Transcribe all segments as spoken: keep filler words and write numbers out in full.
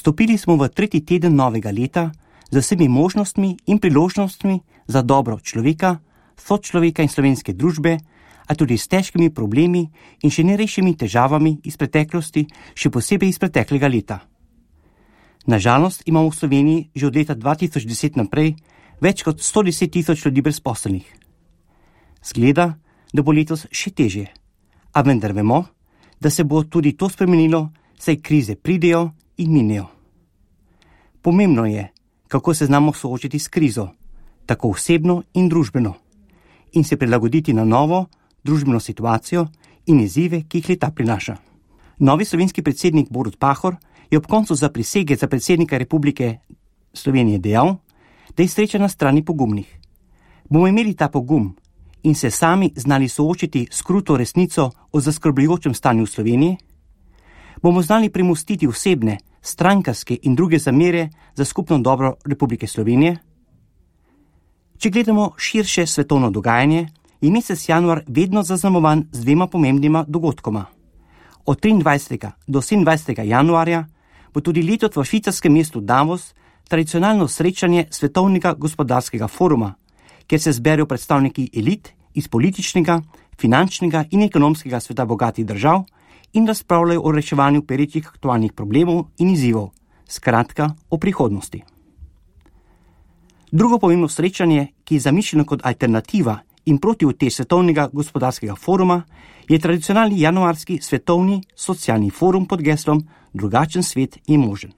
Stopili smo v tretji teden novega leta z vsemi možnostmi in priložnostmi za dobro človeka, sočloveka in slovenske družbe, a tudi s težkimi problemi in še nerešenimi težavami iz preteklosti, še posebej iz preteklega leta. Nažalost imamo v Sloveniji že od leta dva tisoč deset naprej več kot sto deset tisoč ljudi brezposelnih. Zgleda, da bo letos še težje, a vendar vemo, da se bo tudi to spremenilo, saj krize pridejo in minejo. Pomembno je, kako se znamo soočiti s krizo, tako osebno in družbeno, in se prilagoditi na novo družbeno situacijo in izzive, ki jih leta prinaša. Novi slovenski predsednik Borut Pahor je ob koncu zaprisege za predsednika Republike Slovenije dejal, da je sreča na strani pogumnih. Bomo imeli ta pogum in se sami znali soočiti s kruto resnico o zaskrbljujočem stanju v Sloveniji? Bomo znali premostiti osebne, strankarske in druge zamere za skupno dobro Republike Slovenije? Če gledamo širše svetovno dogajanje, je mesec januar vedno zaznamovan z dvema pomembnima dogodkoma. Od triindvajsetega do sedemindvajsetega januarja bo tudi letos v švicarskem mestu Davos tradicionalno srečanje Svetovnega gospodarskega foruma, kjer se zberejo predstavniki elit iz političnega, finančnega in ekonomskega sveta bogatih držav in razpravljajo o reševanju perečih aktualnih problemov in izzivov, skratka o prihodnosti. Drugo pomembno srečanje, ki je zamišljeno kot alternativa in protiutež Svetovnega gospodarskega foruma, je tradicionalni januarski svetovni socialni forum pod geslom Drugačen svet je možen.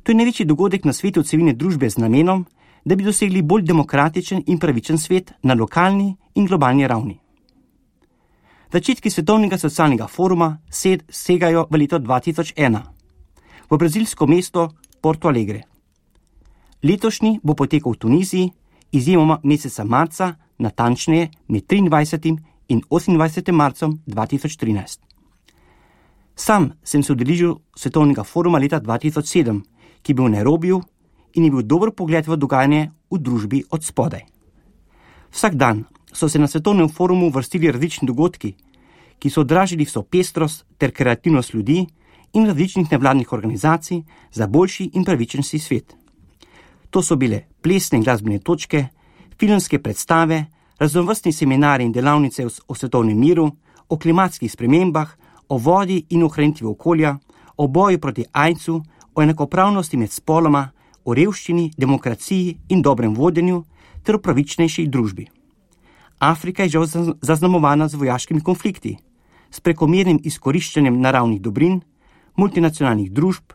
To je največji dogodek na svetu civilne družbe z namenom, da bi dosegli bolj demokratičen in pravičen svet na lokalni in globalni ravni. Začetki Svetovnega socialnega foruma segajo v leto dva tisoč ena, v brazilsko mesto Porto Alegre. Letošnji bo potekal v Tuniziji, izjemoma meseca marca, natančneje med triindvajsetim in osemindvajsetim marcem dva tisoč trinajst. Sam sem se udeležil Svetovnega foruma leta dva tisoč sedem, ki je bil v Nairobiju in je bil dober pogled v dogajanje v družbi od spodaj. Vsak dan so se na Svetovnem forumu vrstili različni dogodki, ki so odražili vso pestrost ter kreativnost ljudi in različnih nevladnih organizacij za boljši in pravičnejši svet. To so bile plesne in glasbene točke, filmske predstave, raznovrstni seminarji in delavnice o svetovnem miru, o klimatskih spremembah, o vodi in ohranitvi okolja, o boju proti aidsu, o enakopravnosti med spoloma, o revščini, demokraciji in dobrem vodenju ter o pravičnejši družbi. Afrika je žal zaznamovana z vojaškimi konflikti, s prekomernim izkoriščanjem naravnih dobrin, multinacionalnih družb,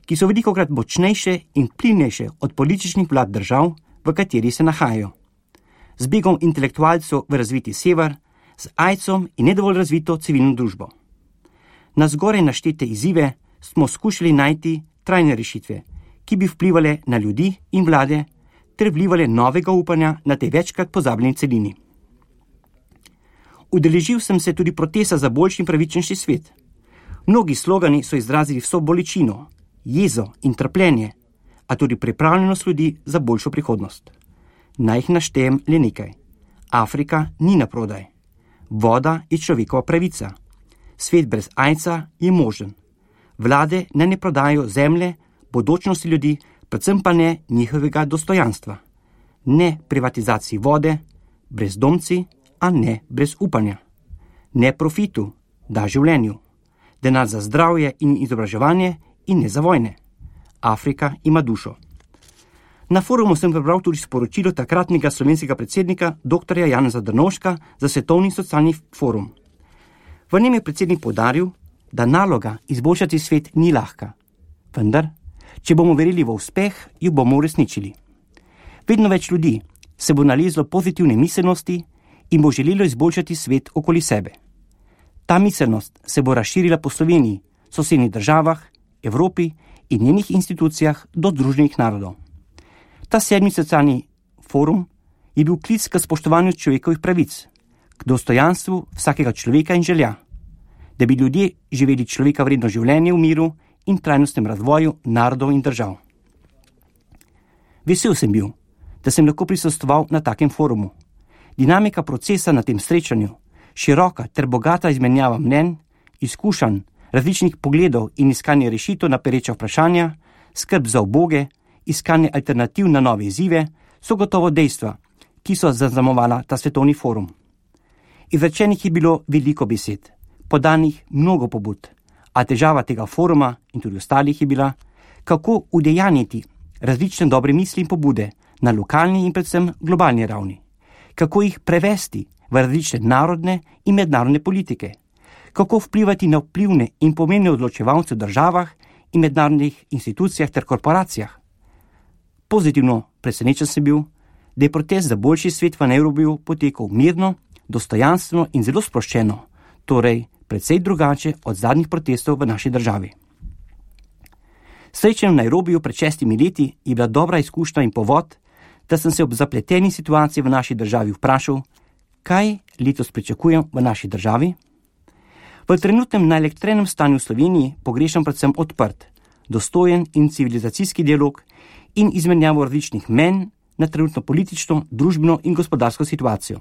ki so velikokrat močnejše in vplivnejše od političnih vlad držav, v kateri se nahajajo. Z begom intelektualcev v razviti sever, z aidsom in nedovolj razvito civilno družbo. Na zgoraj naštete izzive smo skušali najti trajne rešitve, ki bi vplivale na ljudi in vlade ter vlivale novega upanja na tej večkrat pozabljeni celini. Udeležil sem se tudi protesta za boljši in pravičnejši svet. Mnogi slogani so izrazili vso bolečino, jezo in trpljenje, a tudi pripravljenost ljudi za boljšo prihodnost. Naj jih naštejem le nekaj. Afrika ni na prodaj. Voda je človekova pravica. Svet brez aidsa je možen. Vlade naj ne prodajajo zemlje, bodočnosti ljudi, predvsem pa ne njihovega dostojanstva. Ne privatizaciji vode, brezdomci, a ne brez upanja. Ne profitu, da življenju. Denar za zdravje in izobraževanje in ne za vojne. Afrika ima dušo. Na forumu sem prebral tudi sporočilo takratnega slovenskega predsednika doktorja Janeza Drnovška za Svetovni socialni forum. V njem je predsednik poudaril, da naloga izboljšati svet ni lahka. Vendar, če bomo verili v uspeh, jo bomo uresničili. Vedno več ljudi se bo nalezlo pozitivne miselnosti in bo želelo izboljšati svet okoli sebe. Ta miselnost se bo razširila po Sloveniji, sosednjih državah, Evropi in njenih institucijah do Združenih narodov. Ta sedmi socialni forum je bil klic k spoštovanju človekovih pravic, k dostojanstvu vsakega človeka in želja, da bi ljudje živeli človeka vredno življenje v miru in trajnostnem razvoju narodov in držav. Vesel sem bil, da sem lahko prisostoval na takem forumu. Dinamika procesa na tem srečanju, široka ter bogata izmenjava mnenj, izkušanj, različnih pogledov in iskanje rešitev na pereča vprašanja, skrb za uboge, iskanje alternativ na nove izzive so gotovo dejstva, ki so zaznamovala ta svetovni forum. Izrečenih je bilo veliko besed, podanih mnogo pobud, a težava tega foruma in tudi ostalih je bila, kako udejanjiti različne dobre misli in pobude na lokalni in predvsem globalni ravni, kako jih prevesti v različne narodne in mednarodne politike, kako vplivati na vplivne in pomembne odločevalce v državah in mednarodnih institucijah ter korporacijah. Pozitivno presenečen sem bil, da je protest za boljši svet v Nairobiju potekal mirno, dostojanstveno in zelo sproščeno, torej precej drugače od zadnjih protestov v naši državi. Srečanje v Nairobiju pred šestimi leti je bila dobra izkušnja in povod, da sem se ob zapleteni situaciji v naši državi vprašal, kaj letos pričakujem v naši državi. V trenutnem naelektrenem stanju v Sloveniji pogrešam predvsem odprt, dostojen in civilizacijski dialog in izmenjavo različnih mnenj na trenutno politično, družbeno in gospodarsko situacijo.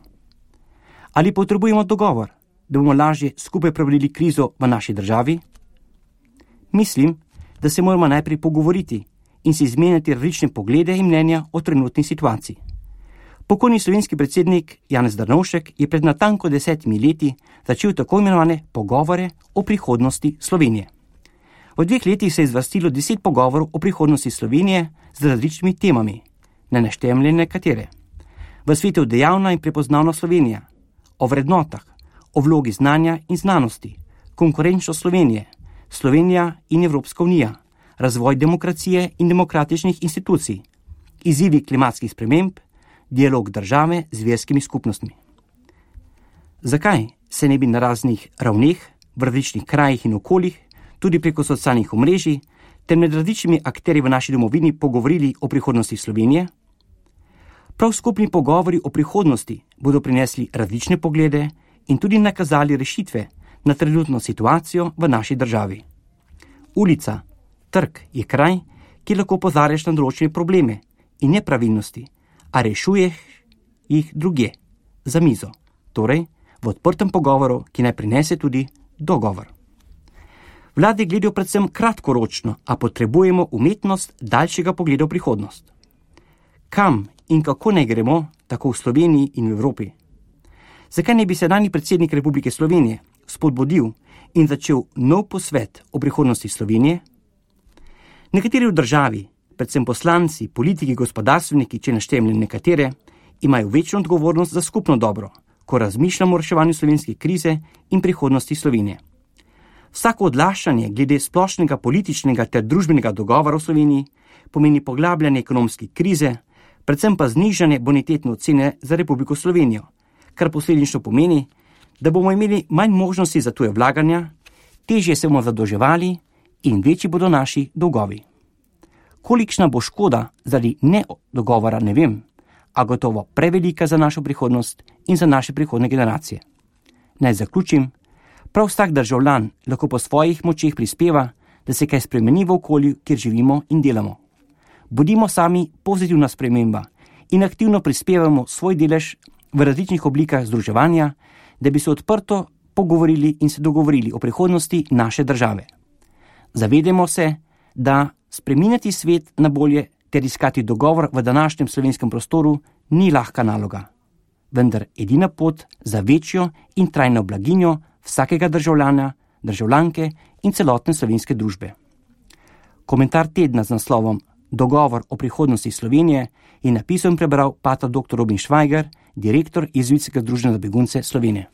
Ali potrebujemo dogovor, da bomo lažje skupaj prebrodili krizo v naši državi? Mislim, da se moramo najprej pogovoriti in si izmenjati različne poglede in mnenja o trenutni situaciji. Pokojni slovenski predsednik Janez Drnovšek je pred natanko desetimi leti začel tako imenovane pogovore o prihodnosti Slovenije. V dveh letih se je zvrstilo deset pogovorov o prihodnosti Slovenije z različnimi temami, ne naštejem le nekatere. V svetu dejavna in prepoznavna Slovenija, o vrednotah, o vlogi znanja in znanosti, konkurenčnost Slovenije, Slovenija in Evropska unija, razvoj demokracije in demokratičnih institucij, izzivi klimatskih sprememb, dialog države z verskimi skupnostmi. Zakaj se ne bi na raznih ravneh, v različnih krajih in okoljih, tudi preko socialnih omrežij, ter med različnimi akterji v naši domovini pogovorili o prihodnosti Slovenije? Prav skupni pogovori o prihodnosti bodo prinesli različne poglede in tudi nakazali rešitve na trenutno situacijo v naši državi. Ulica, trg je kraj, kjer lahko opozarjaš na določene probleme in nepravilnosti, a rešuješ jih drugje, za mizo, torej v odprtem pogovoru, ki naj prinese tudi dogovor. Vlade gledajo predvsem kratkoročno, a potrebujemo umetnost daljšega pogleda v prihodnost. Kam in kako naj gremo, tako v Sloveniji in v Evropi? Zakaj ne bi sedanji predsednik Republike Slovenije spodbudil in začel nov posvet o prihodnosti Slovenije? Nekateri v državi, predvsem poslanci, politiki, gospodarstveniki, če naštejem le nekatere, imajo večjo odgovornost za skupno dobro, ko razmišljamo o reševanju slovenske krize in prihodnosti Slovenije. Vsako odlašanje glede splošnega političnega ter družbenega dogovora v Sloveniji pomeni poglabljanje ekonomske krize, predvsem pa znižanje bonitetne ocene za Republiko Slovenijo, kar posledično pomeni, da bomo imeli manj možnosti za tuje vlaganja, težje se bomo zadolževali in večji bodo naši dolgovi. Kolikšna bo škoda zaradi nedogovora, ne vem, a gotovo prevelika za našo prihodnost in za naše prihodne generacije. Naj zaključim, prav vsak državljan lahko po svojih močeh prispeva, da se kaj spremeni v okolju, kjer živimo in delamo. Bodimo sami pozitivna sprememba in aktivno prispevamo svoj delež v različnih oblikah združevanja, da bi se odprto pogovorili in se dogovorili o prihodnosti naše države. Zavedamo se, da spreminjati svet na bolje ter iskati dogovor v današnjem slovenskem prostoru ni lahka naloga, vendar edina pot za večjo in trajno blaginjo vsakega državljana, državljanke in celotne slovenske družbe. Komentar tedna z naslovom Dogovor o prihodnosti Slovenije je napisal in prebral pater doktor Robin Švajger, direktor Jezuitskega združenja za begunce Slovenije.